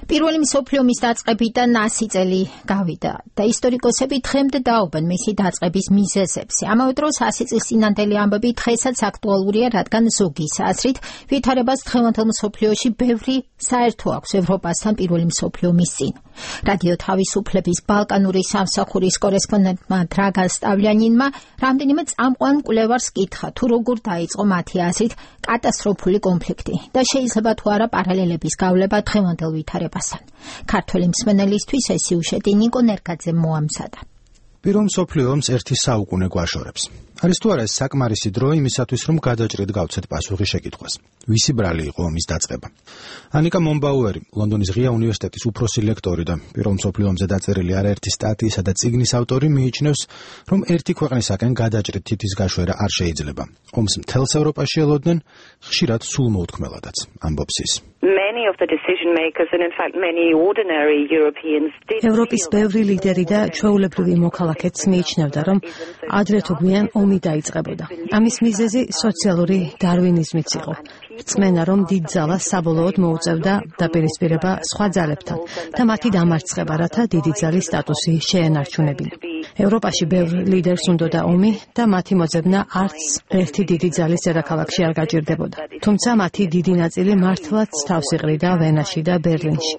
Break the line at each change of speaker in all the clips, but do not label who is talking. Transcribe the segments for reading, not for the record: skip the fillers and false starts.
პირველი მსოფლიო ომის დაწყებიდან 100 წელი გავიდა და ისტორიკოსები დღემდე დაობენ მისი დაწყების მიზეზებს. ამავე დროს 100 წლის წინანდელი ამბები დღესაც აქტუალურია, რადგან ზოგის აზრით ვითარებას დღევანდელ მსოფლიოში ბევრი საერთო აქვს ევროპასთან პირველი მსოფლიო ომის წინ. რადიო თავისუფლების ბალკანური სამსახურის კორესპონდენტმა დრაგა სტავლიანინმა რამდენიმე წამყვან მკვლევარს კითხა, თუ როგორ დაიწყო მათი აზრით კატასტროფული კონფლიქტი და შეიძლება თუ არა პარალელების გავლება დღევანდელ ვითარებასთან. ქართველი მსმენელისთვის ეს სიუჟეტი ნიკო ნერგაძემ მოამზადა.
პირველ მსოფლიო ომს ერთი საუკუნე გვაშორებს. არის თუ არა ეს საკმარისი დრო იმისათვის, რომ გადაჭრით გავცეთ პასუხი შეკითხვას. ვისი ბრალი იყო ომის დაწყება? ანიკა მომბაუერი, ლონდონის ღია უნივერსიტეტის უფროსი ლექტორი და პირველ მსოფლიო ომზე დაწერილი არაერთი სტატიისა და წიგნის ავტორი მიიჩნევს, რომ ერთი ქვეყნისაკენ გადაჭრით თითის გაშვერა არ შეიძლება. ომს მთელს ევროპაში ელოდნენ, ხშირად სულმოუთქმელადაც, ამბობს ის.
ევროპის ბევრი ლიდერი და ჩვეულებრივი მოქალაქეც მიიჩნევდა, რომ ადრე თუ გვიან ომი დაიწყებოდა. ამის მიზეზი სოციალური დარვინიზმიც იყო. რწმენა, რომ დიდ ძალას საბოლოოდ მოუწევდა დაპირისპირება სხვა ძალებთან და მათი დამარცხება, რათა დიდი ძალის სტატუსი შეენარჩუნებინა. ევროპაში ბევრ ლიდერს უნდოდა ომი და მათი მოძებნა არც ერთი დიდი ძალის დედაქალაქში არ გაჭირდებოდა. თუმცა მათი დიდი ნაწილი მართლაც თავს იყრიდა ვენაში და ბერლინში.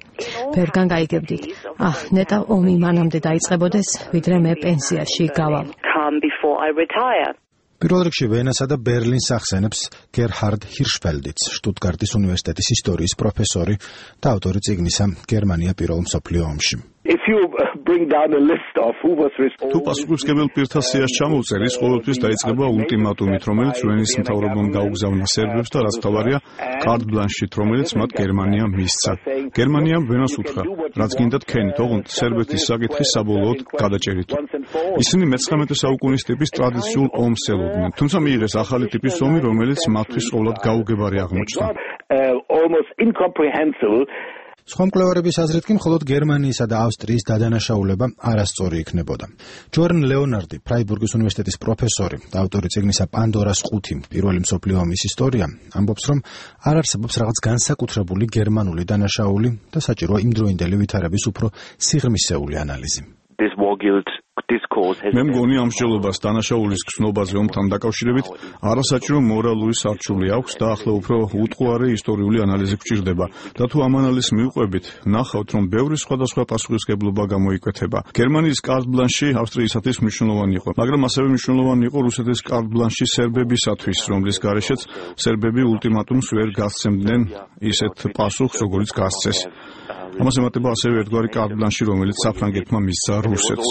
ბევრგან გაიგებდით, ნეტა ომი მანამდე დაიწყებოდეს, ვიდრე მე პენსიაში გავალ.
პირველ რიგში ვენასა და ბერლინს ახსენებს გერჰარდ ჰირშფელდიც, შტუტგარტის უნივერსიტეტის ისტორიის პროფესორი და ავტორი წიგნისა გერმანია პირველ მსოფლიო ომში.
თუ პასუხისმგებელ პირთა სიას ჩამოვწერ, ის ყოველთვის დაიწყება ულტიმატუმით, რომელიც ვენის მთავრობამ გაუგზავნა სერბებს და რაც თავარია კარტ ბლანშით, რომელიც მათ გერმანიამ მისცა. გერმანიამ ვენას უთხრა, რაც გინდათ ქენით, ოღონდ სერბეთის საკითხი საბოლოოდ გადაჭერით. ისინი მე-19 საუკუნის ტიპის ტრადიციულ ომს ელოდნენ, თუმცა მიიღეს ახალი ტიპის ომი, რომელიც მათთვის ყოვლად გაუგებარი აღმოჩნდა.
სხვა მკვლევარების აზრით კი მხოლოდ გერმანიისა და ავსტრიის დადანაშაულება არასწორი იქნებოდა. ჯორნ ლეონარდი, ფრაიბურგის უნივერსიტეტის პროფესორი და ავტორი წიგნისა პანდორას ყუთი, პირველი მსოფლიო ომის ისტორია, ამბობს, რომ არ არსებობს რაღაც განსაკუთრებული გერმანული დანაშაული და საჭიროა იმდროინდელი ვითარების უფრო სიღრმისეული ანალიზი.
მე მგონი ამ მსჯელობას დანაშაულის გრძნობაზე ომთან დაკავშირებით არასაჭირო მორალური სარჩული აქვს და ახლა უფრო უტყუარი ისტორიული ანალიზი გვჭირდება. და თუ ამ ანალიზს მივყვებით, ნახავთ, რომ ბევრი სხვადასხვა პასუხისმგებლობა გამოიკვეთება. გერმანიის კარტ ბლანში ავსტრიისათვის მნიშვნელოვანი იყო, მაგრამ ასევე მნიშვნელოვანი იყო რუსეთის კარტ ბლანში სერბებისათვის, რომლის გარეშეც სერბები ულტიმატუმს ვერ გასცემდნენ ისეთ პასუხს, როგორიც გასცეს. ამას ემატება ასევე ერთგვარი კარტ ბლანში, რომელიც საფრანგეთმა მისცა რუსეთს.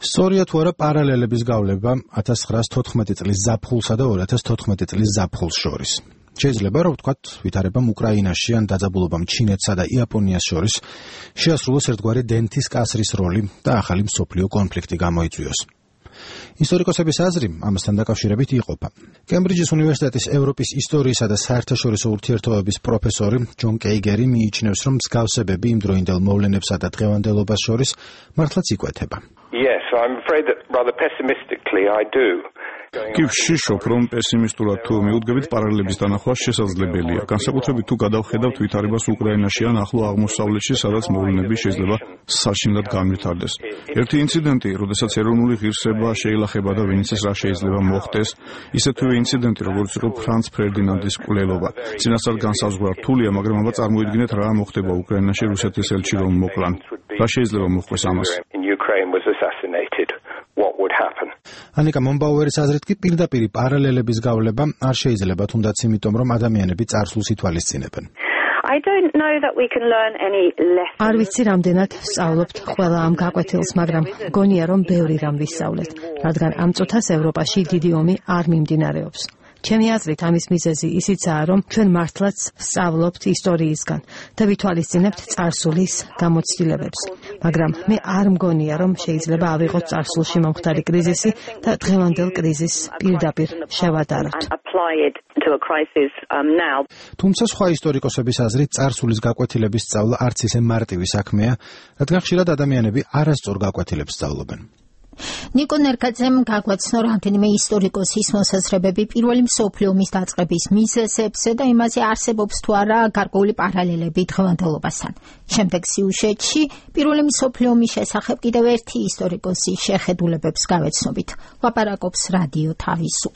სწორია თუ არა პარალელების გავლება 1914 წლის ზაფხულსა და 2014 წლის ზაფხულს შორის. შეიძლება რომ ვთქვათ, ვითარებამ უკრაინაში ან დაძაბულობამ ჩინეთსა და იაპონიას შორის შეასრულოს ერთგვარი დენთის კასრის როლი და ახალი მსოფლიო კონფლიქტი გამოიწვიოს. ისტორიკოსების აზრი ამასთან დაკავშირებით იყოფა. კემბრიჯის უნივერსიტეტის ევროპის ისტორიისა და საერთაშორისო ურთიერთობების პროფესორი ჯონ კეიგერი მიიჩნევს, რომ მსგავსებები იმდროინდელ მოვლენებსა და დღევანდელობას შორის მართლაც იკვეთება.
კი ვშიშობ, რომ პესიმისტურად თუ მიუდგებით პარალელების დანახვა შესაძლებელია. განსაკუთრებით თუ გადავხედავთ ვითარებას უკრაინაში ან ახლო აღმოსავლეთში, სადაც მოვლენები შეიძლება საშინლად განვითარდეს. ერთი ინციდენტი, როდესაც ეროვნული ღირსება შეილახება და ვინც ის რა შეიძლება მოხდეს, ისეთივე ინციდენტი, როგორც იყო ფრანც ფერდინანდის მკვლელობა. წინასწარ განსაზღვრა რთულია, მაგრამ აბა წარმოიდგინეთ რა მოხდება უკრაინაში რუსეთის ელჩი რომ მოკლან. რა შეიძლება მოხდეს ამას? ანიკა მომბაუერის აზრით კი პირდაპირ პარალელების გავლება არ შეიძლება, თუნდაც იმიტომ, რომ ადამიანები წარსულს ითვალისწინებენ.
არ ვიცი რამდენად სწავლობთ ყველა ამ გაკვეთილს, მაგრამ გონია რომ ბევრი რამ ვისწავლეთ, რადგან ამ წუთას ევროპაში დიდი ომი არ მიმდინარეობს. ჩემი აზრით ამის მიზეზი ისიცაა, რომ ჩვენ მართლაც სწავლობთ ისტორიისგან და ვითვალისწინებთ წარსულის გამოცდილებებს. მაგრამ მე არ მგონია, რომ შეიძლება ავიღოთ წარსულში მომხდარი კრიზისი და დღევანდელ კრიზისს პირდაპირ შევადაროთ.
თუმცა სხვა ისტორიკოსების აზრით წარსულის გაკვეთილების სწავლა არც ისე მარტივი საქმეა, რადგან ხშირად ადამიანები არასწორ გაკვეთილებს სწავლობენ.
ნიკო ნერგაძემ გაგვაცნო რამდენიმე ისტორიკოსის მოსაზრებები პირველი მსოფლიო ომის დაწყების მიზეზებზე და იმაზე არსებობს თუ არა გარკვეული პარალელები დღევანდელობასთან. შემდეგ სიუჟეტში პირველი მსოფლიო ომის შესახებ კიდევ ერთი ისტორიკოსის შეხედულებებს გავეცნობით. ლაპარაკობს რადიო თავისუფლება.